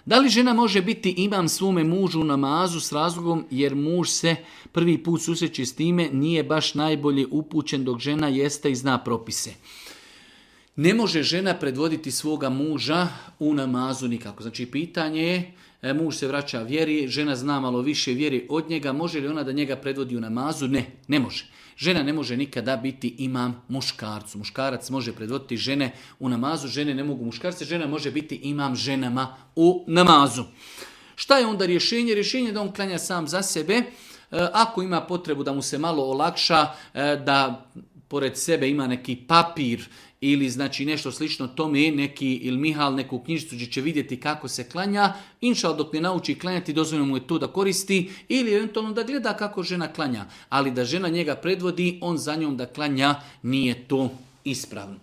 Da li žena može biti imam svome mužu u namazu s razlogom jer muž se prvi put susreće s time, nije baš najbolje upućen dok žena jeste i zna propise? Ne može žena predvoditi svoga muža u namazu nikako. Znači pitanje je, muž se vraća vjeri, žena zna malo više vjeri od njega, može li ona da njega predvodi u namazu? Ne, ne može. Žena ne može nikada biti imam muškarcu. Muškarac može predvoditi žene u namazu, žene ne mogu muškarce, žena može biti imam ženama u namazu. Šta je onda rješenje? Rješenje je da on klanja sam za sebe. Ako ima potrebu da mu se malo olakša, da pored sebe ima neki papir ili znači nešto slično tome, neki ili Mihal, neku knjižicu gdje će vidjeti kako se klanja, inšal dok ne nauči klanjati, dozvoljeno mu je to da koristi ili eventualno da gleda kako žena klanja. Ali da žena njega predvodi, on za njom da klanja, nije to ispravno.